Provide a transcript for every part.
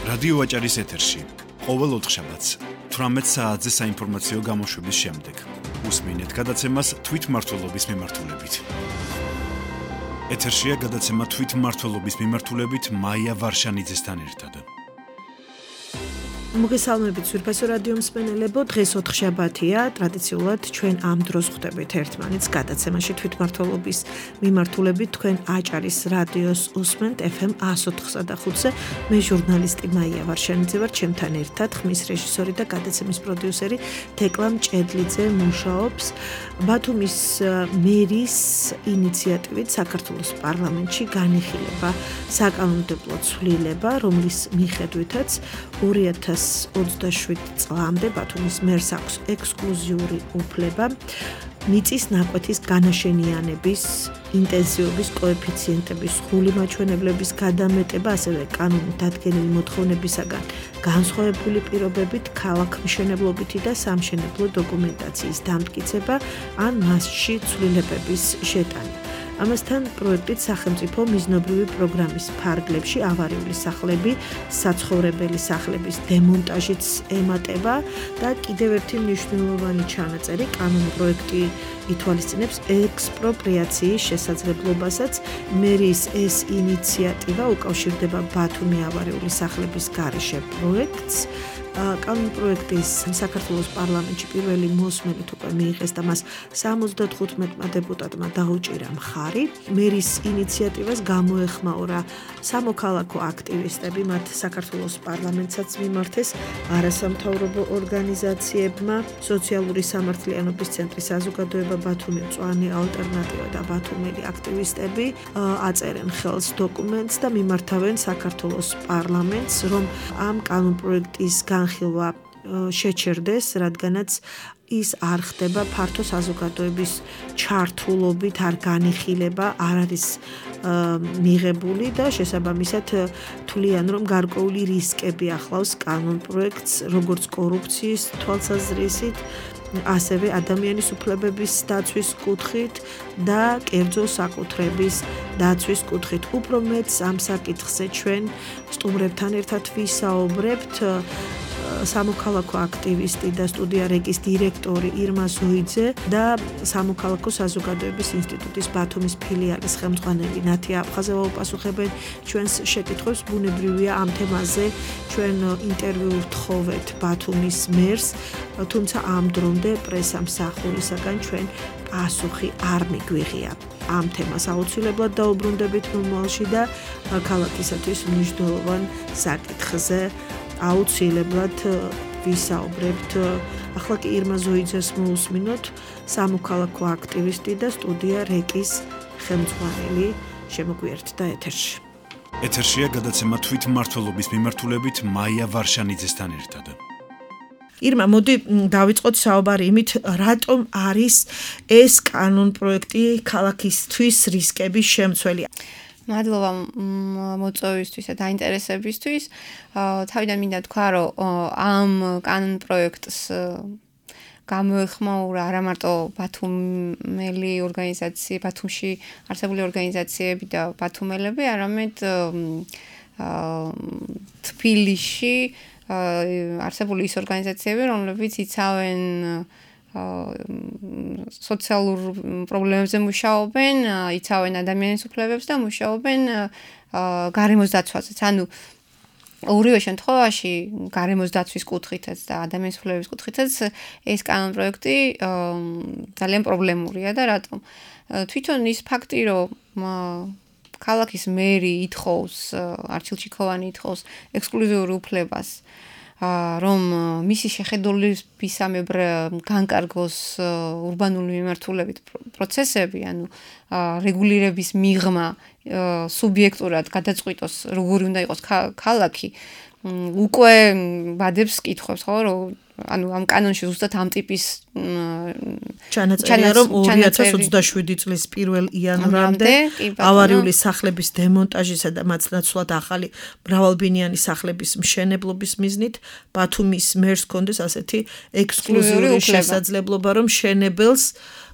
რადიო აჭარის ეთერში ყოველ ოთხშაბათს 18 საათზე საინფორმაციო გამოშვების შემდეგ უსმინეთ გადაცემას თვითმმართველობის მიმართულებით. ეთერშია გადაცემა თვითმმართველობის მიმართულებით მაია ვარშანიძესთან ერთად. მოგესალმებით სურფასო რადიო მსმენელებო, დღეს ოთხშაბათია, ტრადიციულად ჩვენ ამ დროს ხვდებით ერთმანეთს გადაცემაში თვითმმართველობის მიმართულებით თქვენ აჭარის რადიოს უსმენთ FM 104.5-ზე. მე ჟურნალისტი მაია ვარშანიძე ვარ, ჩემთან ერთად ხმის რეჟისორი და გადაცემის პროდიუსერი თეკლა მჭედლიძე მუშაობს. ბათუმის მერის ინიციატივით საქართველოს პარლამენტში განიხილება საკანონმდებლო ცვლილება, რომლის მიხედვითაც 2027 წლამდე ბათუმის მერს აქვს ექსკლუზიური უფლება მიწის ნაკვეთის განაშენიანების ინტენსივობის კოეფიციენტების ხული მაჩვენებლების გადამეტება, ასევე კანონით დადგენილი მოთხოვნებისაგან განსხვავებული პირობებით ქალაქმშენებლობითი და სამშენებლო დოკუმენტაციის დამტკიცება ან მასში ცვლილებების შეტანა. ამასთან პროექტით სახელმწიფო მიზნობრივი პროგრამის ფარგლებში ავარიული სახლები, საცხოვრებელი სახლების დემონტაჟიც ემატება და კიდევ ერთი მნიშვნელოვანი ჩანაწერი კანონპროექტი ითვალისწინებს ექსპროპრიაციის შესაძლებლობასაც. მერის ეს ინიციატივა უკავშირდება ბათუმი ავარიული სახლების გარეშე პროექტს. კანონპროექტის საქართველოს პარლამენტში პირველი მოსმენით უკვე მიიღეს და მას 75 დეპუტატმა დაუჭირა მხარი. მერის ინიციატივას გამოეხმაურა სამოქალაქო აქტივისტები, მათ საქართველოს პარლამენტსაც მიმართეს არასამთავრობო ორგანიზაციებმა, სოციალური სამართლიანობის ცენტრის საზოგადოება ბათუმი მწვანე ალტერნატივა და ბათუმელი აქტივისტები აწერენ ხელს დოკუმენტს და მიმართავენ საქართველოს პარლამენტს, რომ ამ კანონპროექტის განხილვა შეჩერდეს, რადგანაც ის არ ხდება ფართო საზოგადოების ჩართულობით, არ განიხილება, არ არის მიღებული და შესაბამისად თვლიან, რომ გარკვეული რისკები ახლავს კანონპროექტს, როგორც კორუფციის თვალსაზრისით, ასევე ადამიანის უფლებების დაცვის კუთხით და კერძო საკუთრების დაცვის კუთხით. უფრო მეტს ამ საკითხზე ჩვენ სტუმრებთან ერთად ვისაუბრებთ. სამოქალაქო აქტივისტი და სტუდია რეკის დირექტორი ირმა ზოიძე და სამოქალაქო საზოგადოების ინსტიტუტის ბათუმის ფილიალის ხელმძღვანელი ნათია აფხაზევა უპასუხებენ ჩვენს შეკითხვებს. ბუნებრივია ამ თემაზე ჩვენ ინტერვიუ ვთხოვეთ ბათუმის მერს, თუმცა ამ დრომდე პრესამსახურისაგან ჩვენ პასუხი არ მიგვიღია. ამ თემას აუცილებლად დაუბრუნდებით მომავალში და ქალაქისათვის მნიშვნელოვან საკითხზე აუცილებლად ვისაუბრებთ. ახლა კი ირმა ზოიძეს მოусმინოთ, სამოქალაქო აქტივისტი და სტუდია რეკის ხელმძღვანელი შემოგვიერთდა ეთერში. ეთერშია გადაცემა თვითმმართველობის მიმართულებით მაია ვარშანიძესთან ერთად. ირმა, მოდი დავიწყოთ საუბარი იმით, რატომ არის ეს კანონპროექტი ქალაქისთვის რისკების შემცველი. მადლობა მოწვევისთვის და დაინტერესებისთვის. თავიდან მინდა თქვა, რომ ამ კანონპროექტს გამოეხმაურა არა მარტო ბათუმელი ორგანიზაცია, ბათუმში არსებული ორგანიზაციები და ბათუმელები, არამედ თბილისში არსებული ის ორგანიზაციები, რომლებიც იცავენ სოციალურ პრობლემებზე მუშაობენ, იცავენ ადამიანის უფლებებს და მუშაობენ გარემოს დაცვაზეც. ანუ ორივე შემთხვევაში გარემოს დაცვის კუთხითაც და ადამიანის უფლებების კუთხითაც ეს კანონპროექტი ძალიან პრობლემურია და რატომ? თვითონ ის ფაქტი, რომ ქალაქის მერი ითხოვს, არჩილ ჩიქოვანი ითხოვს ექსკლუზიურ უფლებას, რომ მისი შეხედულებისამებრ განკარგოს ურბანული მიმართულებით პროცესები, ანუ რეგულირების მიღმა სუბიექტურად გადაწყვიტოს, როგორი უნდა იყოს ქალაქი, უკვე ბადებს კითხვებს, ხო, რომ ანუ ამ კანონში ზუსტად ამ ტიპის ჩანაწერია, რომ 2027 წლის 1 იანვრამდე ავარიული სახლების დემონტაჟისა და მათ ნაცვლად ახალი მრავალბინიანი სახლების მშენებლობის მიზნით ბათუმის მერს ჰქონდეს ასეთი ექსკლუზიური შესაძლებლობა, რომ მშენებელს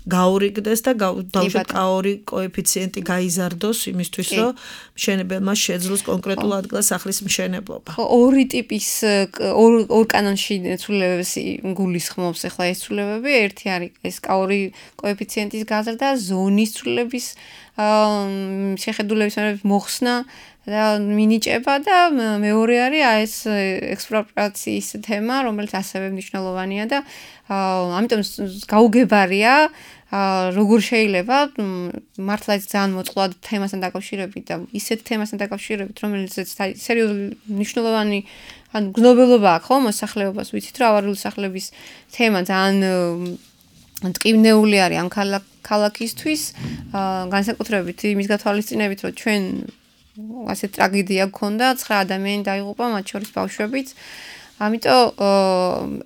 გაურიგდეს და დავუშვათ K2 კოეფიციენტი გაიზარდოს იმისთვის, რომ მშენებელმა შეძლოს კონკრეტულ ადგილას სახლის მშენებლობა. ხო, ორი ტიპის ორ კანონში ცვლილებებს გულისხმობს ახლა ეს ცვლილებები, ერთი არის ეს K2 კოეფიციენტის გაზრდა, ზონის ცვლილების შეხედულების მოხსნა და მინიჭება და მეორე არის ეს ექსპროპრიაციის თემა, რომელიც ასევე მნიშვნელოვანია და ამიტომ გაუგებარია როგორ შეიძლება მართლა ძალიან მოწყვლად თემასთან დაკავშირებით და ისეთ თემასთან დაკავშირებით, რომელიც სერიოზული მნიშვნელოვანი ანუ გზნობელობა აქვს ხო მოსახლეობას, ვიცით რომ ავარიული სახლების თემა ძალიან ტკივნეული არის ამ ქალაქისთვის, განსაკუთრებით იმის გათვალისწინებით, რომ ჩვენ ასე ტრაგედია გქონდა, 9 ადამიანი დაიღუპა, მათ შორის ბავშვებიც. ამიტომ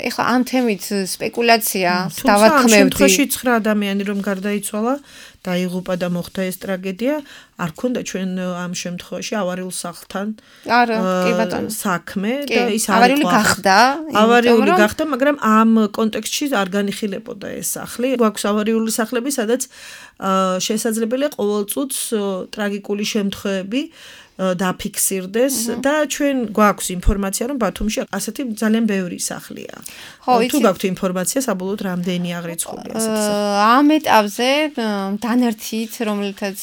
ეხლა ამ თემით სპეკულაცია დავათქმევდი. შემთხვევაში 9 ადამიანი რომ გარდაიცვალა, დაიღუპა და მოხდა ეს ტრაგედია, არ ქონდა ჩვენ ამ შემთხვევაში ავარიულ სახლთან საქმე და ის ავარიული გახდა. ავარიული გახდა, მაგრამ ამ კონტექსტში არ განიხილებოდა ეს სახლი. გვაქვს ავარიული სახლები, სადაც შესაძლებელია ყოველ წუთს ტრაგიკული შემთხვევები დაფიქსირდეს და ჩვენ გვაქვს ინფორმაცია რომ ბათუმში ასეთი ძალიან ბევრი სახლია. თუ გაქვთ ინფორმაცია საბოლოოდ რამდენი აღრიცხულია ასეთი სახლი? ამ ეტაპზე დანერთით რომელთაც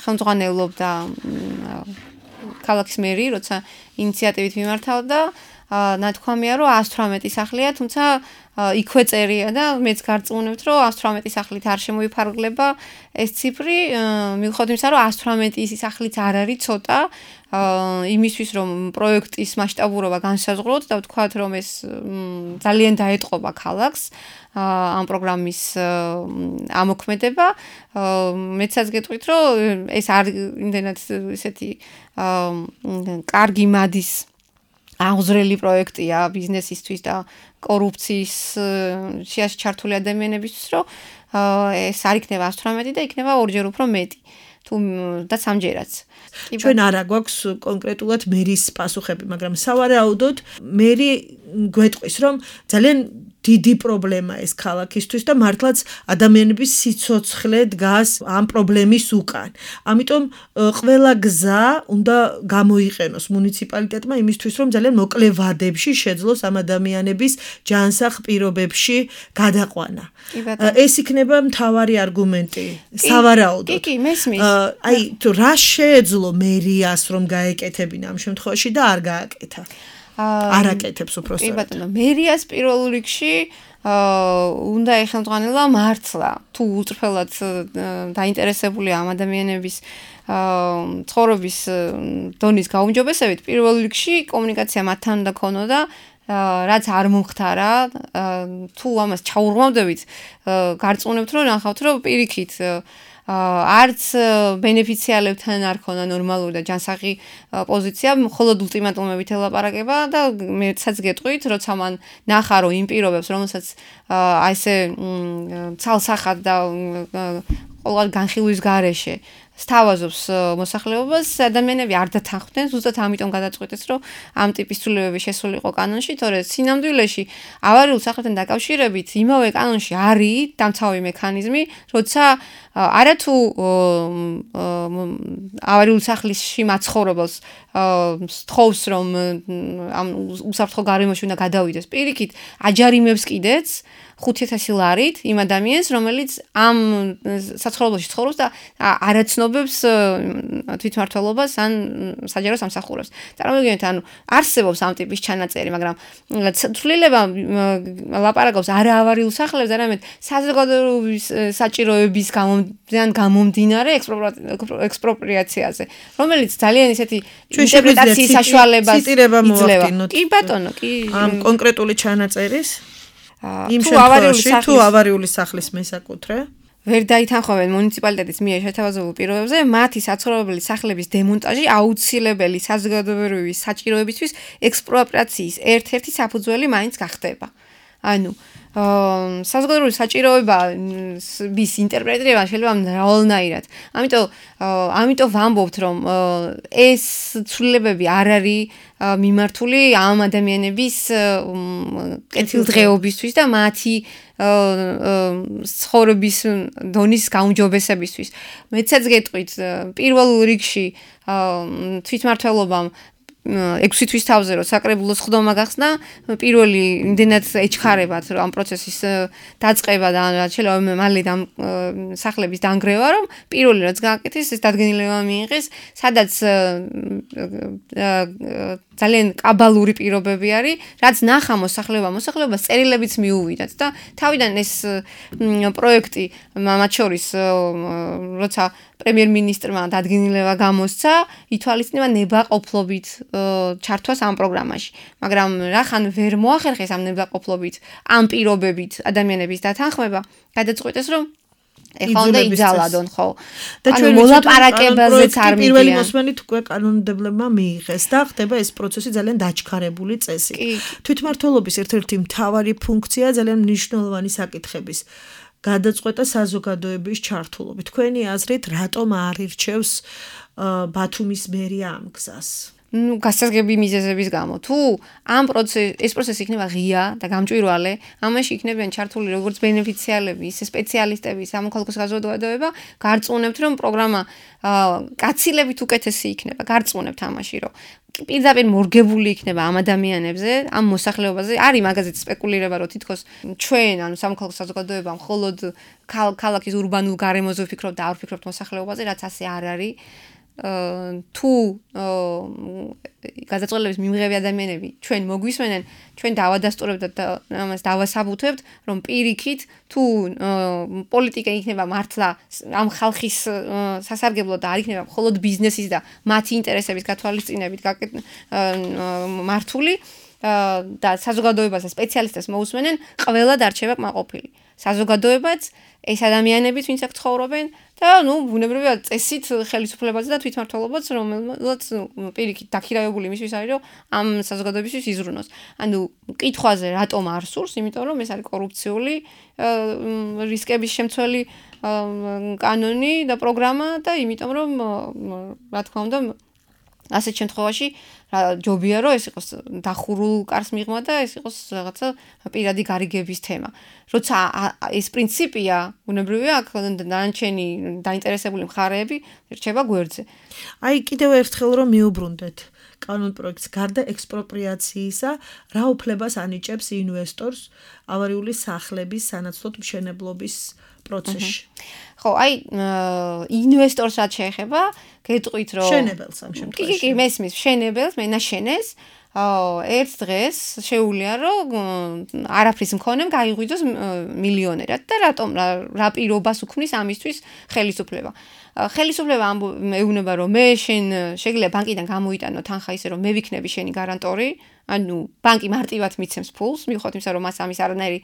ხელმძღვანელობდა ქალაქის მერი, როცა ინიციატივით მიმართავდა, ნათქვამია რომ 118 სახლია, თუმცა იქვე წერია და მეც გარწმუნებთ რომ 118 სახლით არ შემოიფარგლება ეს ციფრი, მიუხედავად იმისა რომ 118 სახლიც არ არის ცოტა, იმისთვის რომ პროექტის მასშტაბურობა განსაზღვროთ და ვთქვათ რომ ეს ძალიან დაეტყობა ქალაქს ამ პროგრამის ამოქმედება, მეცაც გეტყვით რომ ეს არ იმდენად ესეთი კარგი მადის აღზრელი პროექტია ბიზნესისთვის და კორუფციის შეაში ჩართული ადამიანებისთვის, რომ ეს არ იქნება 118 და იქნება ორჯერ უფრო მეტი. და სამჯერაც. ჩვენ არა გვაქვს კონკრეტულად მერის პასუხები, მაგრამ სავარაუდოდ მერი გვეტყვის, რომ ძალიან დიდი პრობლემა ეს ქალაქისთვის და მართლაც ადამიანების სიცოცხლე დგას ამ პრობლემის უკან. ამიტომ ყველა გზა უნდა გამოიყენოს მუნიციპალიტეტმა იმისთვის, რომ ძალიან მოკლე ვადებში შეძლოს ამ ადამიანების ჯანსაღ პირობებში გადაყვანა. ეს იქნება მთავარი არგუმენტი სავარაუდოდ. კი, მესმის. აი, თუ რა შეეძლო მერიას რომ გაეკეთებინა ამ შემთხვევაში და არ გააკეთა? არ აკეთებს უფრო სწორად. კი ბატონო, მერიას პირველ რიგში უნდა ეხელმძღვანელა მართლა თუ უწრფელად დაინტერესებულია ამ ადამიანების ცხოვრების დონის გაუმჯობესებით, პირველ რიგში კომუნიკაცია მათთან უნდა ქონოდა, რაც არ მომხდარა, თუ ამას ჩაურღვავდებით, გარწმუნებთ რომ ნახავთ რომ პირიქით არც ბენეფიციარებთან არ ქონა ნორმალური და ჯანსაღი პოზიცია, მხოლოდ ულტიმატუმებით ელაპარაკება და მეცაც გეტყვით, როცა მან ნახა რომ იმ პირობებს, რომელსაც ესე ცალსახად და ყოველ განხილვის გარეშე სთავაზობს მოსახლეობას, ადამიანები არ დათანხმდნენ, ზუსტად ამიტომ გადაწყვეტეს, რომ ამ ტიპის ცვლილებები შესულიყო კანონში, თორე სინამდვილეში ავარიულ სახლებთან დაკავშირებით იმავე კანონში არის დამცავი მექანიზმი, როცა არათუ ავარიულ სახლში მაცხოვრებელს სთხოვს, რომ ამ უსაფრთხო გარემოში უნდა გადავიდეს, პირიქით აჯარიმებს კიდეც 5,000 ლარით იმ ადამიანს, რომელიც ამ საცხოვრებელში ცხოვრობს და არაცნობებს თვითმმართველობას ან საჯარო სამსახურებს. წარმოგიდგენთ, ანუ არსებობს ამ ტიპის ჩანაწერი, მაგრამ ცვლილება ლაპარაკობს არა ავარიულ სახლებზე, არამედ საზოგადოების საჭიროების გამომდინარე ექსპროპრიაციაზე, რომელიც ძალიან ისეთი ინტერპრეტაციის საშუალებას იძლევა. კი ბატონო, კი ამ კონკრეტული ჩანაწერის იმ შემთხვევაში თუ ავარიული სახლის მესაკუთრე ვერ დაითანხმებენ მუნიციპალიტეტის მიერ შეთავაზებულ პირობებზე, მათი საცხოვრებელი სახლების დემონტაჟი აუცილებელი საზოგადოებრივი საჭიროებისთვის ექსპროპრიაციის ერთ-ერთი საფუძველი მაინც გახდება. ანუ საზოგადოებრივი საჭიროების ინტერპრეტირება შეიძლება მრავალნაირად. ამიტომ ვამბობთ, რომ ეს ცვლილებები არ არის მიმართული ამ ადამიანების კეთილდღეობისთვის და მათი ცხოვრების დონის გაუმჯობესებისთვის. მეცაც გეტყვით, პირველ რიგში თვითმმართველობამ 6 თვის თავზე რომ საკრებულოს ხდომა გახსნა, პირველი იმდენად ეჩქარებათ რომ ამ პროცესის დაწყება და შეიძლება მალე სახლების დანგრევა, რომ პირველი რაც გააკეთეს, ეს დადგენილება მიიღეს, სადაც ძალიან კაბალური პირობები არის, რაც ნახა მოსახლეობას წერილებიც მიუვიდათ და თავიდან ეს პროექტი მათ შორის როცა პრემიერ-მინისტრმა დადგენილება გამოსცა, ითვალისწინება ნებაყოფლობით ჩართვას ამ პროგრამაში. მაგრამ რახან ვერ მოახერხეს ამ ნებაყოფლობით, ამ პირობებით ადამიანების დათანხმება, გადაწყვეტეს რომ ეხლა უნდა იძალადონ, ხო? და ჩვენ მოლაპარაკებაზეც არ მიდიან. პირველი მოსმენით უკვე კანონმდებლებმა მიიღეს და ხდება ეს პროცესი ძალიან დაჩქარებული წესი. თვითმმართველობის ერთ-ერთი მთავარი ფუნქცია ძალიან მნიშვნელოვანი საკითხების გადაწყვეტა საზოგადოების ჩართულობით. თქვენი აზრით, რატომ არ ირჩევს ბათუმის მერია ამ გზას? გასაზრდელი მიზეზების გამო. თუ ეს პროცესი იქნება ღია და გამჭვირვალე, ამაში იქნებიან ჩართული როგორც ბენეფიციარები, ისე სპეციალისტები, სამოქალაქო საზოგადოება, გარწმუნებთ, რომ პროგრამა კაცილებით უკეთესი იქნება. გარწმუნებთ ამაში, რომ პირდაპირ მორგებული იქნება ამ ადამიანებზე, ამ მოსახლეობაზე. არის მაგაზეც სპეკულირება, რომ თითქოს ჩვენ, ანუ სამოქალაქო საზოგადოება მხოლოდ ქალაქის ურბანულ გარემოზე ვფიქრობთ და არ ვფიქრობთ მოსახლეობაზე, რაც ასე არ არის. თუ გადაწყვეტილების მიმღები ადამიანები ჩვენ მოგვისმენენ, ჩვენ დავადასტურებთ და ამას დავასაბუთებთ, რომ პირიქით თუ პოლიტიკა იქნება მართლა ამ ხალხის სასარგებლო და არ იქნება მხოლოდ ბიზნესის და მათი ინტერესების გათვალისწინებით მართული და საზოგადოებასა სპეციალისტებს მოусმენენ, ყველა დარჩება კმაყოფილი. საზოგადოებაც ეს ადამიანებიც ვინც აქ ცხოვრობენ და ბუნებრივია წესით ხელისუფლებაზე და თვითმმართველობაც რომელსაც პირიქით დაქირავებული იმისთვის არის რომ ამ საზოგადოებისთვის იზრუნოს. ანუ კითხვაზე რატომ არ სურს, იმიტომ რომ ეს არის კორუფციული რისკების შემცველი კანონი და პროგრამა და იმიტომ რომ რა თქმა უნდა ასეთ შემთხვევაში ჯობია რომ ეს იყოს დახურულ კარს მიღმა და ეს იყოს რაღაცა პირადი გარიგების თემა. როცა ეს პრინციპია, ბუნებრივია აქ დანარჩენი დაინტერესებული მხარეები რჩება გვერდზე. აი კიდევ ერთხელ რომ მიუბრუნდეთ კანონპროექტს გარდა ექსპროპრიაციისა, რა უფლებას ანიჭებს ინვესტორს ავარიული სახლების სანაცვლოდ მშენებლობის პროცესში? ხო, აი ინვესტორს რაც შეეხება, გეტყვით რომ მშენებელს ამ შემთხვევაში. კი, მესმის მშენებელს, მენაშენეს ერთ დღეს შეუძლია რომ არაფრის მქონემ გაიღვიძოს მილიონერად და რატომ რა პირობას უქმნის ამისთვის ხელისუფლება. ხელისუფლება ეუბნება რომ მე შენ შეგიძლია ბანკიდან გამოიტანო თანხა ისე რომ მე ვიქნები შენი გარანტორი, ანუ ბანკი მარტივად მიცემს ფულს, მიუხედავად იმისა რომ მას ამის არანაირი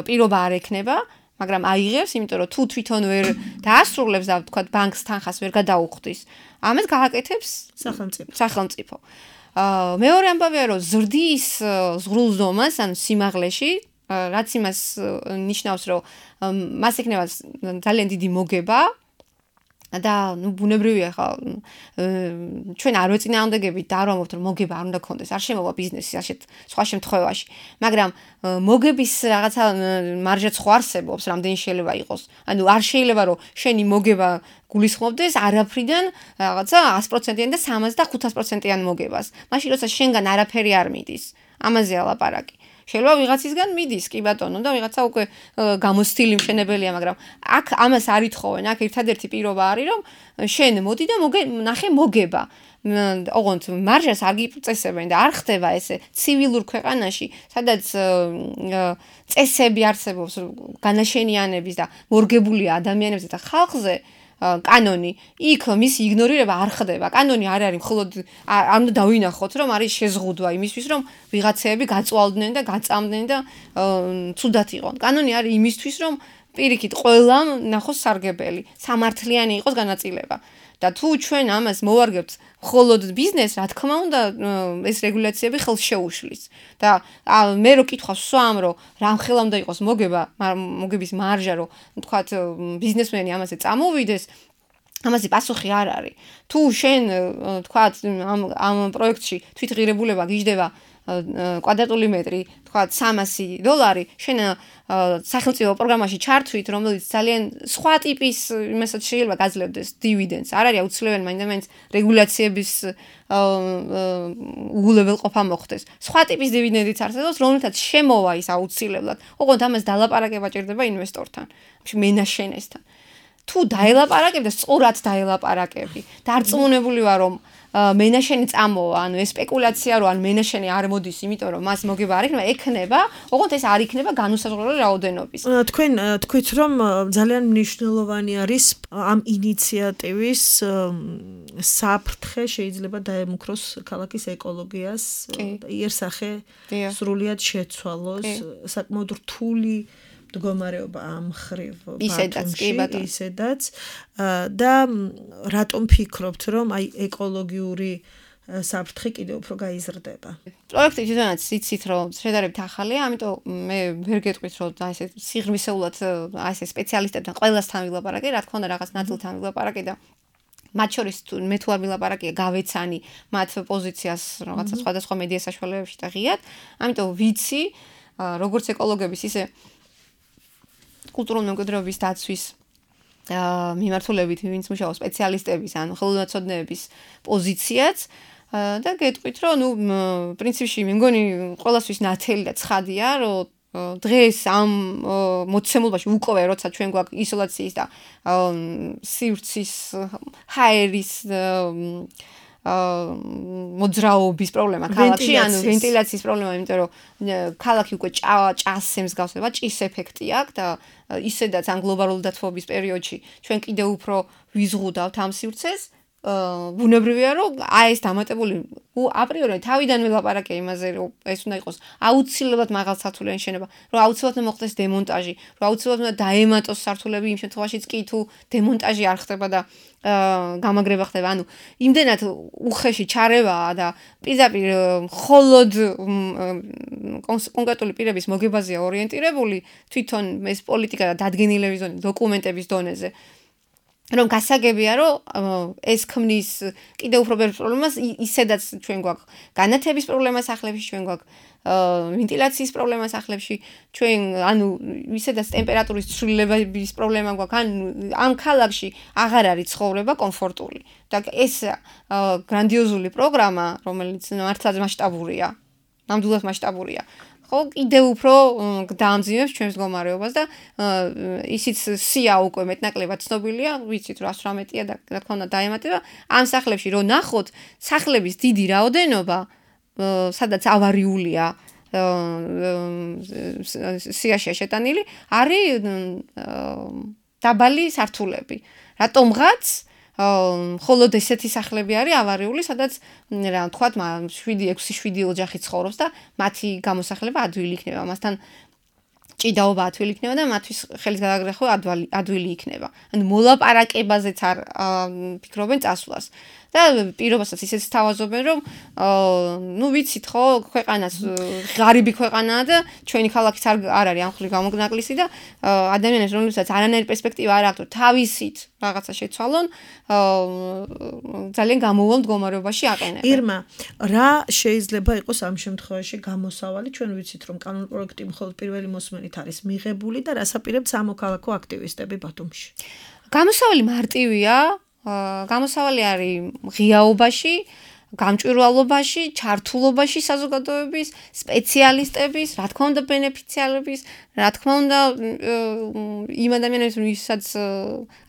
პირობა არ ექნება. მაგრამ აიღებს, იმიტომ რომ თუ თვითონ ვერ დაასრულებს და თქვა ბანკს თანხას ვერ გადაუხდის, ამას გააკეთებს სახელმწიფო. მეორე ამბავია რომ ზრდის ზღრულზომას, ანუ სიმაღლეში, რაც იმას ნიშნავს, რომ მას ექნება ძალიან დიდი მოგება და ბუნებრივია ხა ჩვენ არ ვეწინააღმდეგებით და არ ვამბობთ რომ მოგება არ უნდა გქონდეს, არ შემოვა ბიზნესი ასეთ სხვა შემთხვევაში, მაგრამ მოგების რაღაცა მარჟაც ხო არსებობს, რამდენი შეიძლება იყოს. ანუ არ შეიძლება რომ შენი მოგება გულისხმობდეს არაფრიდან რაღაცა 100%-იან და 300 და 500%-იან მოგებას. მაშინ როცა შენგან არაფერი არ მიდის, ამაზეა ლაპარაკი. შეიძლება ვიღაცისგან მიდის, კი ბატონო, და ვიღაცა უკვე გამოსთილი მშენებელია, მაგრამ აქ ამას არ ითხოვენ, აქ ერთადერთი პირობა არის, რომ შენ მოდი და ნახე მოგება. ოღონდ მარჟას არ გიწესებენ და არ ხდება ესე ცივილურ ქვეყანაში, სადაც წესები არსებობს განაშენიანების და მორგებული ადამიანებზე და ხალხზე კანონი, იქ მისი იგნორირება არ ხდება. კანონი არ არის მხოლოდ არ უნდა დავინახოთ, რომ არის შეზღუდვა იმისთვის, რომ ვიღაცეები გაწვალდნენ და გაწამდნენ და ცუდად იყონ. კანონი არის იმისთვის, რომ პირიქით ყველამ ნახოს სარგებელი, სამართლიანი იყოს განაწილება. და თუ ჩვენ ამას მოვარგებთ მხოლოდ ბიზნესს, რა თქმა უნდა, ეს რეგულაციები ხელს შეუშლის. და მე რო კითხავს სვამ, რომ რამხელა უნდა იყოს მოგების მარჟა, რომ თქვათ ბიზნესმენი ამაზე წამოვიდეს, ამაზე პასუხი არ არის. თუ შენ თქვათ ამ პროექტში თვითღირებულება გიждდება კვადრატული მეტრი, თქვათ $300, შენ სახელმწიფო პროგრამაში ჩართვით, რომელიც ძალიან სხვა ტიპის იმასაც შეიძლება გაძლევდეს დივიდენდს. არ არის აუცილებელი მაინც რეგულაციების უგულებელყოფა მოხდეს. სხვა ტიპის დივიდენდიც არსებობს, რომელთაც შემოვა ის აუცილებლად. ოღონდ ამას დალაპარაკება ჭირდება ინვესტორთან, მენაშენესთან. თუ დაელაპარაკებ და სწორად დაელაპარაკები. დარწმუნებული ვარ, რომ მენაშენი წამოვა, ანუ ეს სპეკულაცია, რომ მენაშენი არ მოდის, იმიტომ რომ მას მოგება არ იქნება, ექნება, ოღონდ ეს არ იქნება განუსაზღვრელი რაოდენობის. თქვენ თქვით, რომ ძალიან მნიშვნელოვანი არის ამ ინიციატივის საფრთხე შეიძლება დაემუქროს ქალაქის ეკოლოგიას, იერსახე სრულიად შეცვალოს, საკმაოდ რთული მდგომარეობა ამ ხრივ ისედაც და რატომ ფიქრობთ, რომ აი ეკოლოგიური საფრთხე კიდევ უფრო გაიზრდება? პროექტი თვითონაც იცით, რომ შედარებით ახალია, ამიტომ მე ვერ გეტყვით, რომ აი ეს სიღრმისეულად აი ეს სპეციალისტებთან ყველასთან ვილაპარაკე, რა თქმა უნდა რაღაც ნაწილთან ვილაპარაკე და მათ შორის მე თუ არ ვილაპარაკია, გავეცანი მათ პოზიციას რაღაცა სხვადასხვა მედია საშუალებებში და ღიად, ამიტომ ვიცი, როგორც ეკოლოგების ისე კულტურული მემკვიდრეობის დაცვის მიმართულებით, ვინც მუშაობს სპეციალისტების, ანუ ხელოვნაცოდნეების პოზიციაც და გეტყვით, რომ პრინციპში მე მგონი ყველასთვის ნათელი და ცხადია, რომ დღეს ამ მოცემულობაში უკვე როცა ჩვენ გვაქვს ისოლაციის და სივრცის ჰაერის მოძრაობის პრობლემა ქალაქში, ანუ ვენტილაციის პრობლემა, იმიტომ რომ ქალაქი უკვე ჭასს გასება, ჭის ეფექტი აქვს და ისედაც ამ გლობალური დათბობის პერიოდში ჩვენ კიდევ უფრო ვიზღუდავთ ამ სივრცეს. ბუნებრივია, რომ აი ეს დამატებული აპრიორი თავიდან ვილაპარაკე იმაზე, რომ ეს უნდა იყოს აუცილებლად მაღალსართულიანი შენობა, რომ აუცილებლად მოხდეს დემონტაჟი, რომ აუცილებლად უნდა დაემატოს სართულები იმ შემთხვევაშიც კი თუ დემონტაჟი არ ხდება და გამაგრება ხდება. ანუ იმდენად უხეში ჩარევაა და პირდაპირ მხოლოდ კონკრეტული პირების მოგებაზეა ორიენტირებული თვითონ ეს პოლიტიკა და დადგენილების დონე, დოკუმენტების დონეზე. რომ გასაგებია, რომ ეს ქმნის კიდევ უფრო ბევრ პრობლემას, ისედაც ჩვენ გვაქვს განათების პრობლემა სახლებში, ჩვენ გვაქვს ვენტილაციის პრობლემა სახლებში, ჩვენ ანუ ისედაც ტემპერატურის ცვლილების პრობლემა გვაქვს, ანუ ამ ქალაქში აღარ არის ცხოვრება კომფორტული. და ეს გრანდიოზული პროგრამა, რომელიც მართლაც მასშტაბურია, ნამდვილად მასშტაბურია. ხო, კიდევ უფრო დაამძიმებს ჩვენს მდგომარეობას და ისიც სია უკვე მეტნაკლებად ცნობილია, ვიცით რომ 118-ია და რა თქმა უნდა დაემატება. ამ სახლებში რო ნახოთ, სახლების დიდი რაოდენობა, სადაც ავარიულია, სიაშია შეტანილი, არის დაბალი სართულები. რატომღაც მხოლოდ ესეთი სახლები არის ავარიული, სადაც რა თქვათ, 7-6 ოჯახი ცხოვრობს და მათი გამოსახლება ადვილი იქნება. ამასთან ჭიდაობა ადვილი იქნება და მათთვის ხელის გადაგრეხვა ადვილი იქნება. ანუ მოლაპარაკებაზეც არ ფიქრობენ წასვლას. და პირობასაც ისეც თავაზობენ, რომ ნუ ვიცით ხო, ქვეყანას ღარიბი ქვეყანაა და ჩვენი ქალაქიც არ არის ამ ხრივ გამოგნაკლისი და ადამიანებს რომელსაც არანაირი პერსპექტივა არ აქვს, თავისით რაღაცა შეცვალონ, ძალიან გამოუვალ მდგომარეობაში აყენებენ. ირმა, რა შეიძლება იყოს ამ შემთხვევაში გამოსავალი? ჩვენ ვიცით, რომ კანონ პროექტი მხოლოდ პირველი მოსმენით არის მიღებული და რას აპირებთ სამოქალაქო აქტივისტები ბათუმში? გამოსავალი მარტივია. გამოსავალი არის ღიაობაში, გამჭვირვალობაში, ჩართულობაში საზოგადოების, სპეციალისტების, რა თქმა უნდა ბენეფიციარების, რა თქმა უნდა იმ ადამიანებს, ვისაც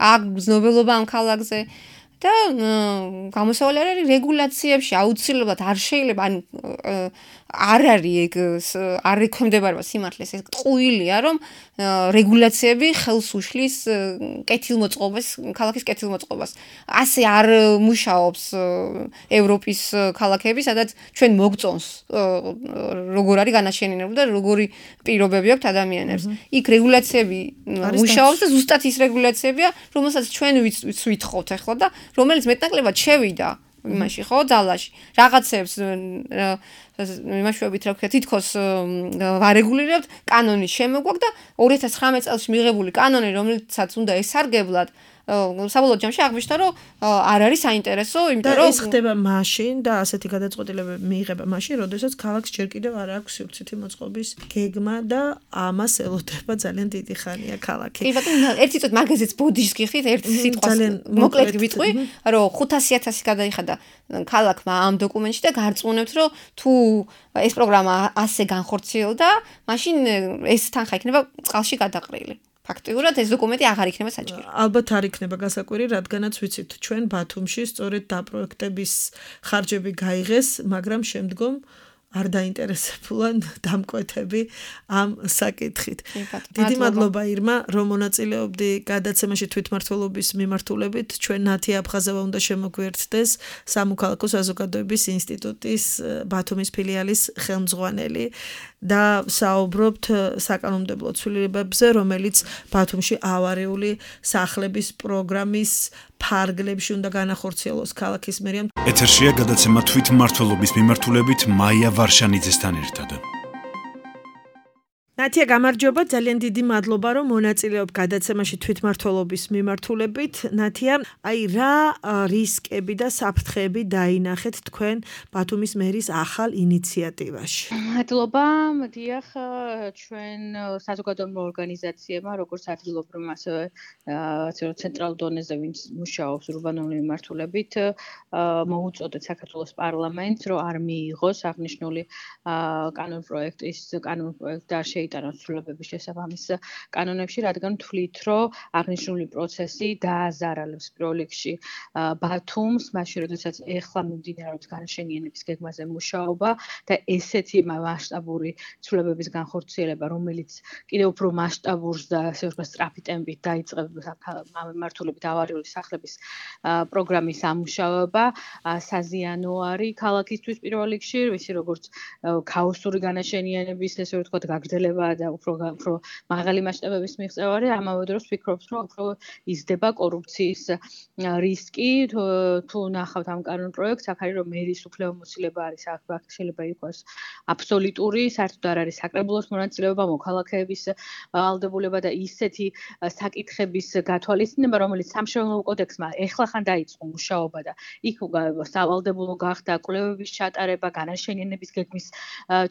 აქვს გრძნობელობა ამ ქალაქზე და გამოსავალი არის რეგულაციებში, აუცილებლად არ შეიძლება, ან არ არის ეგ არ ექვემდებარება სიმართლეს, ეს ტყუილია, რომ რეგულაციები ხელს უშლის კეთილმოწყობას, ქალაქის კეთილმოწყობას. ასე არ მუშაობს ევროპის ქალაქები, სადაც ჩვენ მოგწონს როგორ არის განაშენიანებული და როგორი პირობები აქვს ადამიანებს. იქ რეგულაციები მუშაობს და ზუსტად ის რეგულაციებია, რომელსაც ჩვენ ვითხოვთ ახლა და რომელიც მეტნაკლებად შევიდა იმაში ხო ძალაში რაღაცებს იმაშუებით რა ვქნა თითქოს ვარეგულირებთ კანონის შემოგვაქვს და 2019 წელს მიღებული კანონი რომელიცაც უნდა ესარგებლად საბოლოო ჯამში აღმოჩნდა რომ არ არის საინტერესო იმიტომ რომ ეს ხდება მაშინ და ასეთი გადაწყვეტილებები მიიღება მაშინ როდესაც ქალაქს ჯერ კიდევ არ აქვს სივრცითი მოწყობის გეგმა და ამას ელოდება ძალიან დიდი ხანია ქალაქი. კი ბატონო ერთი წუთი მაგაზეც ბოდიშს გიხდით ერთ სიტყვას მოკლედ ვიტყვი რომ 500,000 გადაიხადა ქალაქმა ამ დოკუმენტში და გარწმუნებთ რომ თუ ეს პროგრამა ასე განხორციელდა მაშინ ეს თანხა იქნება წყალში გადაყრილი. ფაქტიურად ეს დოკუმენტი აღარ იქნება საჭირო. ალბათ არ იქნება გასაკვირი, რადგანაც ვიცით ჩვენ ბათუმში სწორედ დაპროექტების ხარჯები გაიღეს, მაგრამ შემდგომ არ დაინტერესებულან დამკვეთები ამ საკითხით. დიდი მადლობა ირმა, რომ მონაწილეობდი გადაცემაში თვითმმართველობის მიმართულებით. ჩვენ ნათია აფხაზევა უნდა შემოგვიერთდეს სამოქალაქო საზოგადოების ინსტიტუტის ბათუმის ფილიალის ხელმძღვანელი და საუბრობთ საკანონმდებლო ცვლილებებზე, რომელიც ბათუმში ავარიული სახლების პროგრამის ფარგლებში უნდა განახორციელოს ქალაქის მერიამ. ეთერშია გადაცემა თვითმმართველობის მიმართულებით მაია ვარშანიძესთან ერთად. ნათია გამარჯობა, ძალიან დიდი მადლობა რომ მონაწილეობ გადაცემაში თვითმმართველობის მიმართულებით. ნათია, აი რა რისკები და საფრთხეები დაინახეთ თქვენ ბათუმის მერის ახალ ინიციატივაში? მადლობა, დიახ, ჩვენ საზოგადოებრივ ორგანიზაციებმა, როგორც ადგილობრივ, ასევე ცენტრალურ დონეზე, ვინც მუშაობს ურბანული მიმართულებით, მოუწოდეთ საქართველოს პარლამენტს, რომ არ მიიღოს აღნიშნული კანონპროექტის და შეიტანოს ცვლილებების შესაბამის კანონებში, რადგან თვლით, რომ აღნიშნული პროცესი დააზარალებს პირველ რიგში ბათუმს, მაშინ როდესაც ეხლა მიმდინარეობს განშენიანების გეგმაზე მუშაობა და ესეთი მასშტაბური ცვლილებების განხორციელება, რომელიც კიდევ უფრო მასშტაბურს და ასე ვთქვათ სწრაფი ტემპით დაიწყება მიმართულებით ავარიული სახლების პროგრამის ამუშავება, საზიანო არის ქალაქისთვის პირველ რიგში, ვიცი როგორც ქაოსური განაშენიანების ესე ვთქვათ გაგრძელება და უფრო მაღალი მასშტაბების მიღწევარი, ამავე დროს ვფიქრობთ, რომ უფრო იზრდება კორუფციის რისკი, თუ ნახავთ ამ კანონპროექტს, აქ არის რომ მერის უფლებამოსილება არის, აქ შეიძლება იყოს აბსოლუტური, საერთოდ არ არის საკრებულოს მონაწილეობა, მოქალაქეების ვალდებულება და ისეთი საკითხების გათვალისწინება, რომელიც სამშენებლო კოდექსმა ეხლახან დაიწყო მუშაობა და იქ სავალდებულო გახდა კვლევების ჩატარება, განაშენიანების გეგმის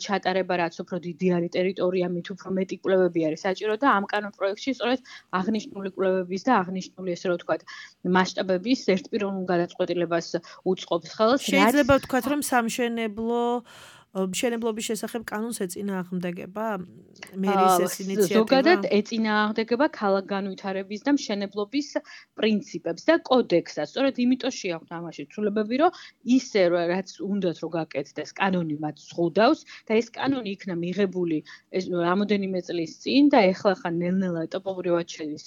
ჩატარება, რაც უფრო დიდი არის ტერიტორია, მით უფრო მეტი კვლევები არის საჭირო და ამ კანონპროექტში სწორედ აღნიშნული კვლევების და აღნიშნული ესე რომ ვთქვათ მასშტაბების ერთპიროვნულ გადაწყვეტილებას უწყობს ხელს. შეიძლება ვთქვათ, რომ მშენებლობის შესახებ კანონს ეწინააღმდეგება მერის ეს ინიციატივა? ზოგადად ეწინააღმდეგება ქალაქ განვითარების და მშენებლობის პრინციპებს და კოდექსსაც. სწორედ იმიტომ შეაქვთ ამაში ცვლილებები, რომ ისე რაც უნდათ რომ გაკეთდეს, კანონი მათ ზღუდავს და ეს კანონი იქნა მიღებული რამოდენიმე წლის წინ და ეხლა ხან ნელ-ნელა ეტაპობრივად შედის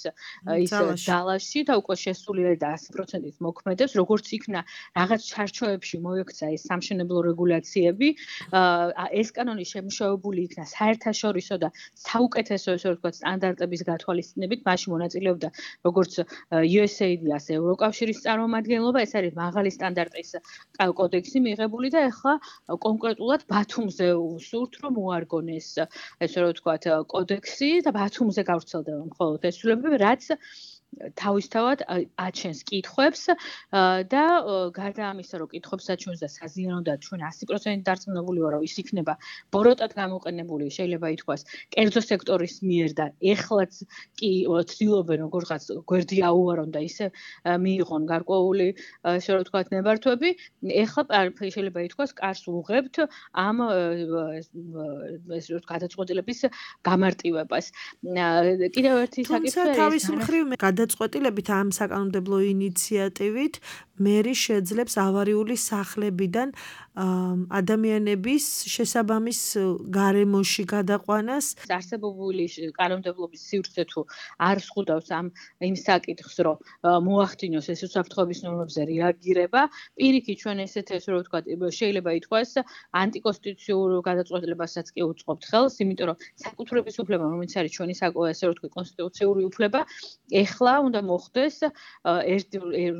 ის ძალაში და უკვე შესულია და 100%-ით მოქმედებს, როგორც იქნა რაღაც ჩარჩოებში მოექცა ეს სამშენებლო რეგულაციები, ეს კანონი შემუშავებული იქნა საერთაშორისო და საუკეთესო ესე ვთქვათ სტანდარტების გათვალისწინებით, მაშინ მონაწილეობდა როგორც USAID-ი, ასე ევროკავშირის წარმომადგენლობა, ეს არის მაღალი სტანდარტის კოდექსი მიღებული და ეხლა კონკრეტულად ბათუმზე ვსურთ, რომ მოარგონ ეს ესე ვთქვათ კოდექსი და ბათუმზე გავრცელდება მხოლოდ ეს ცვლილებები, რაც თავისთავად აჩენს კითხვებს და გარდა ამისა, რომ კითხვებს აჩვენს და საზიანოდაა ჩვენ 100% დარწმუნებული ვარ, რომ ის იქნება ბოროტად გამოყენებული, შეიძლება ითქვას, კერძო სექტორის მიერ და ეხლაც კი ცდილობენ როგორღაც გვერდი აუარონ და ისე მიიღონ გარკვეული ესე რომ ვთქვათ ნებართვები, ეხლა შეიძლება ითქვას კარს უღებთ ამ ეს რო გადაწყვეტილების გამარტივებას. კიდევ ერთი საკითხი ეს თავის მხრივ გადაწყვეტილებით ამ საკანონმდებლო ინიციატივით მერი შეძლებს ავარიული სახლებიდან ადამიანების შესაბამის გარემოში გადაყვანას. არსებობული კანონმდებლობის სივრცე თუ არ ზღუდავს იმ საკითხს, რომ მოახდინოს ეს უსაფრთხოების ნორმებზე რეაგირება, პირიქით ჩვენ ესეთ ესე რომ ვთქვათ, შეიძლება ითქვას ანტიკონსტიტუციურ გადაწყვეტილებასაც კი უწყობთ ხელს, იმიტომ რომ საკუთრების უფლება, რომელიც არის ჩვენი ესე რომ ვთქვათ კონსტიტუციური უფლება, ეხლა უნდა მოხდეს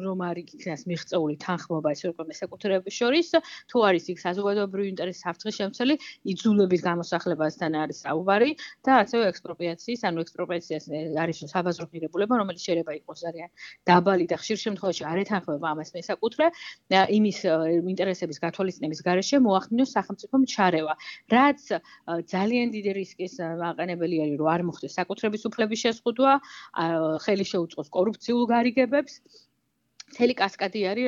რომ არ იქნას მიღწეული თანხმობა ესე ვთქვათ მესაკუთრეების შორის, თუ არის იქ საზოგადოებრივი ინტერესის საფრთხის-შემცველი, იძულების გამოსახლებასთან არის საუბარი და ასევე ექსპროპრიაციის, ანუ ექსპროპრიაციას არის საბაზრო ღირებულება, რომელიც შეიძლება იყოს ძალიან დაბალი და ხშირ შემთხვევაში არ ეთანხმება ამას მესაკუთრე, იმის ინტერესების გათვალისწინების გარეშე მოახდინოს სახელმწიფომ ჩარევა, რაც ძალიან დიდი რისკის მაყენებელი არის, რომ არ მოხდეს საკუთრების უფლების შეზღუდვა, ხელი შეუწყოს კორუფციულ გარიგებებს. მთელი კასკადი არის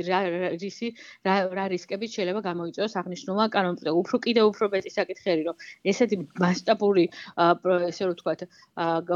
რა რისკებით შეიძლება გამოიწვიოს აღნიშნულმა კანონმდებლობამ. კიდევ უფრო მეტი საკითხი არის, რომ ესეთი მასშტაბური ესე ვთქვათ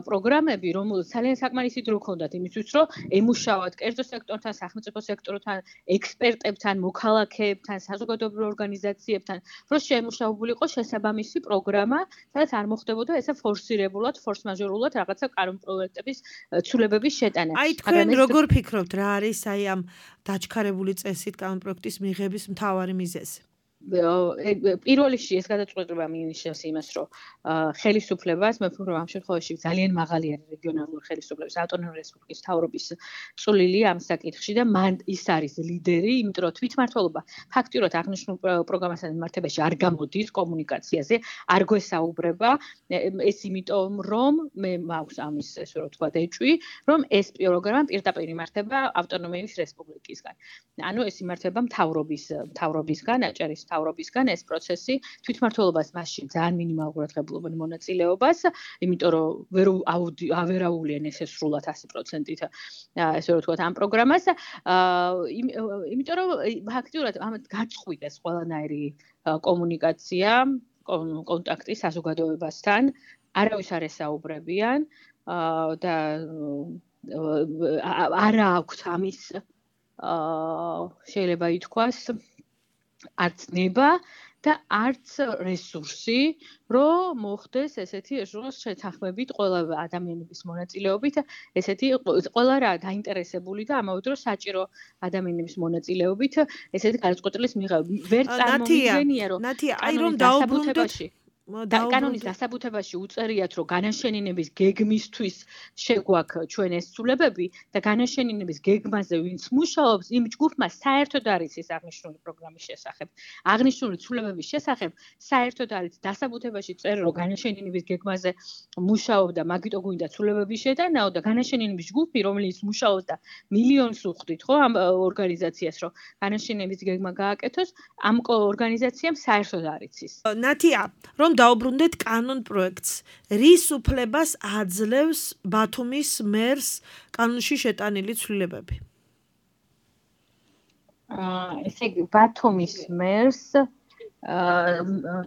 პროგრამები, რომელსაც ძალიან საკმარისი დრო ჰქონდათ იმისთვის, რომ ემუშავათ კერძო სექტორთან, სახელმწიფო სექტორთან, ექსპერტებთან, მოქალაქეებთან, საზოგადოებრივ ორგანიზაციებთან, რომ შეემუშავებული იყოს შესაბამისი პროგრამა, სადაც არ მოხდებოდა ესე ფორსირებულად, ფორსმაჟორულად რაღაცა კანონპროექტების ცვლილებების შეტანა. აი თქვენ როგორ ფიქრობთ, რა არის აი ამ დაჩქარებული წესით კანონპროექტის მიღების მთავარი მიზეზი? პირველ რიგში ეს გადაწყვეტილება მინიშნავს იმას, რომ ხელისუფლებას, მე ვფიქრობ ამ შემთხვევაში ძალიან მაღალი არის რეგიონალური ხელისუფლების ავტონომიური რესპუბლიკის მთავრობის წვლილი ამ საკითხში და მან ის არის ლიდერი, იმიტომ რომ თვითმმართველობა ფაქტიურად აღნიშნულ პროგრამასთან მიმართებაში არ გამოდის კომუნიკაციაზე, არ გვესაუბრება, ეს იმიტომ რომ მე მაქვს ამის ესე რომ ვთქვა ეჭვი, რომ ეს პროგრამა პირდაპირ იმართება ავტონომიის რესპუბლიკისგან. ანუ ეს იმართება მთავრობისგან, აჭარის მთავრობისგან ეს პროცესი თვითმმართველობას მასში ძალიან მინიმალურად ღებულობენ მონაწილეობას, იმიტომ რომ ავერაულიან ესე სრულად 100%-ით ესე რომ ვთქვათ ამ პროგრამას, იმიტომ რომ ფაქტიურად ამათ გაწყვიტეს ყველანაირი კომუნიკაცია, კონტაქტი საზოგადოებასთან, არავის არ ესაუბრებიან და არა აქვთ ამის შეიძლება ითქვას არც ნება და არც რესურსი, რომ მოხდეს ესეთი შეთანხმებით ყველა ადამიანების მონაწილეობით, ესეთი ყველა რა დაინტერესებული და ამავე დროს საჭირო ადამიანების მონაწილეობით ესეთი გადაწყვეტილის მიღება. ვერ წარმომიდგენია, რომ აი რომ დაუბრუნდეთ კანონის დასაბუთებაში უწერიათ, რომ განაშენინების გეგმისთვის შეგვაქვს ჩვენ ეს ცვლილებები და განაშენინების გეგმაზე ვინც მუშაობს, იმ ჯგუფმა საერთოდ არის ეს აღნიშნული პროგრამის შესახებ. აღნიშნული ცვლილებების შესახებ საერთოდ არის დასაბუთებაში წერილი, რომ განაშენინების გეგმაზე მუშაობდა, მაგიტო გვინდა ცვლილებების შეტანაო და განაშენინების ჯგუფი, რომელიც მუშაობდა მილიონს უხდით, ხო, ამ ორგანიზაციას, რომ განაშენინების გეგმა გააკეთოს, ამ ორგანიზაციამ საერთოდ არ იცის. ნათია, რომ დაუბრუნდეთ კანონპროექტს, რის უფლებას აძლევს ბათუმის მერს კანონში შეტანილი ცვლილებები? ესე იგი, ბათუმის მერს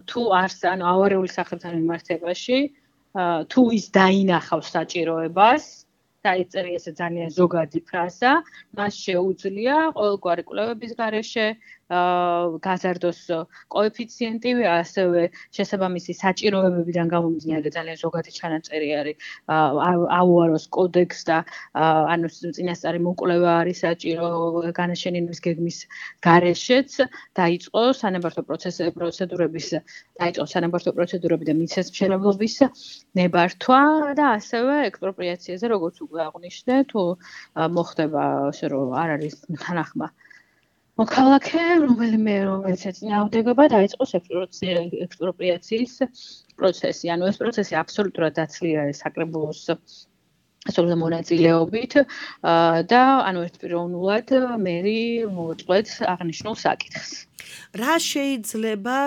თუ არს ანუ ავარიული სახელთან მიმართებაში, თუ ის დაინახავს საჭიროებას, დაიწერია ესე ძალიან ზოგადი ფრაზა, მას შეუძლია ყოველგვარი კვლევების გარეშე გაზარდოს კოეფიციენტი, ასევე შესაბამისი საჭიროებებიდან გამომდინარე ძალიან ზოგადი ჩანაწერი არის აუაროს კოდექს და ანუ წინასწარი მოკვლევა არის საჭირო განაშენინების გეგმის გარეშეც დაიწყო სანებართო პროცედურები და მიწისმშენებლობის ნებართვა და ასევე ექსპროპრიაციაზე როგორც უკვე აღნიშნე, თუ მოხდება ასე რომ არ არის თანახმა მოქალაქე, რომელიც ეწინააღმდეგება დაიწყოს ექსპროპრიაციის პროცესი. ანუ ეს პროცესი აბსოლუტურად დაცლილი არის საკრებულოს მონაწილეობით და ანუ ერთპიროვნულად მერი მოუწყვეტს აღნიშნულ საკითხს. რა შეიძლება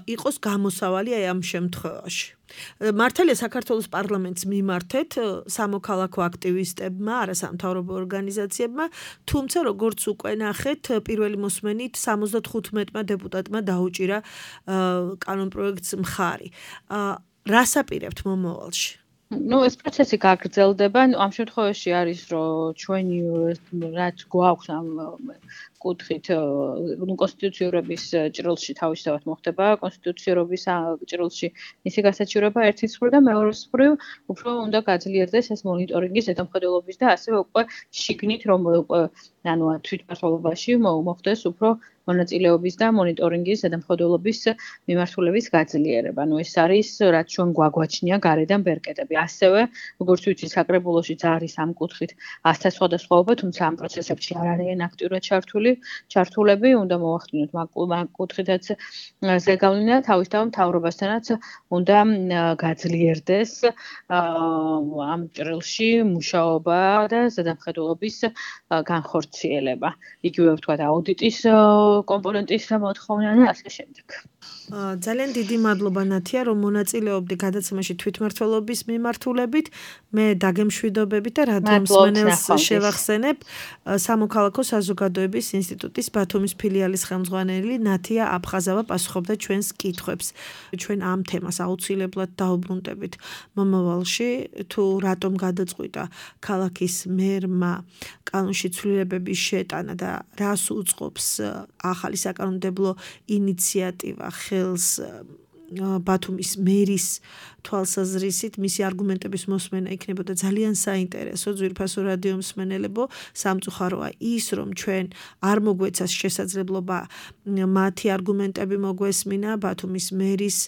იყოს გამოსავალი აი ამ შემთხვევაში? მართალია საქართველოს პარლამენტს მიმართეთ სამოქალაქო აქტივისტებმა, არასამთავრობო ორგანიზაციებმა, თუმცა როგორც უკვე ნახეთ, პირველი მოსმენით 75-მა დეპუტატმა დაუჭირა კანონპროექტს მხარი. რას აპირებთ მომავალში? ეს პროცესი გაგრძელდება. ამ შემთხვევაში არის, რომ ჩვენი რაც გვაქვს ამ კუთხით, კონსტიტუციურობის ჭრილში თავისთავად მოხდება კონსტიტუციურობის ჭრილში მისი გასაჩივრება ერთის მხრივ და მეორეს მხრივ უფრო უნდა გაძლიერდეს ეს მონიტორინგის ზედამხედველობის და ასევე უკვე შიგნით რომ უკვე ანუ თვითმმართველობაში მოხდეს უფრო მონაწილეობის და მონიტორინგის ზედამხედველობის მიმართულების გაძლიერება. ეს არის რაც ჩვენ გვაგვაჩნია გარედან ბერკეტები. ასევე, როგორც ვიცი, საკრებულოშიც არის ამ კუთხით ასთა სხვადასხვაობა, თუმცა ამ პროცესებში არ არიან აქტიურად ჩართულები, უნდა მოვახდინოთ მაგ კუთხითაც ზეგავლენა თავის თავ მთავრობასთანაც უნდა გაძლიერდეს ამ ჭრილში მუშაობა და ზედამხედველობის განხორციელება. იგივე ვთქვათ, აუდიტის კომპონენტის მოთხოვნა და ასე შემდეგ. ძალიან დიდი მადლობა ნათია, რომ მონაწილეობდი გადაცემაში თვითმმართველობის მიმართულებით. მე დაგემშვიდობებით და რადიო მსმენელს შევახსენებ სამოქალაქო საზოგადოების ინსტიტუტის ბათუმის ფილიალის ხელმძღვანელი ნათია აფხაზავა პასუხობდა ჩვენს კითხვებს. ჩვენ ამ თემას აუცილებლად დაუბრუნდებით მომავალში, თუ რატომ გადაწყვიტა ქალაქის მერმა კანონში ცვლილებების შეტანა და რას უწყობს ახალი საკანონმდებლო ინიციატივა ხელს ბათუმის მერის თვალსაზრისით მისი არგუმენტების მოსმენა იქნებოდა ძალიან საინტერესო ძვირფასო რადიო მსმენელებო. სამწუხაროა ის, რომ ჩვენ არ მოგვეცას შესაძლებლობა მათი არგუმენტები მოგვესმინა, ბათუმის მერის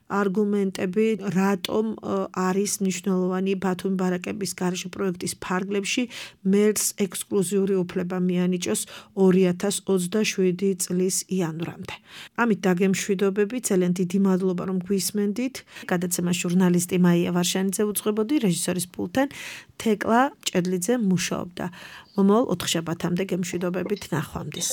არგუმენტები, რატომ არის მნიშვნელოვანი ბათუმი ბარაკების გარეშე პროექტის ფარგლებში მერს ექსკლუზიური უფლება მიანიჭოს 2027 წლის იანვრამდე. ამით დაგემშვიდობები, ძალიან დიდი მადლობა რომ გვისმენდით. გადაცემა ჟურნალისტი მაია ვარშანიძე უძღვებოდი, რეჟისორის პულტთან თეკლა ჭედლიძე მუშაობდა. მომავალ 4 შაბათამდე გემშვიდობებით, ნახვამდის.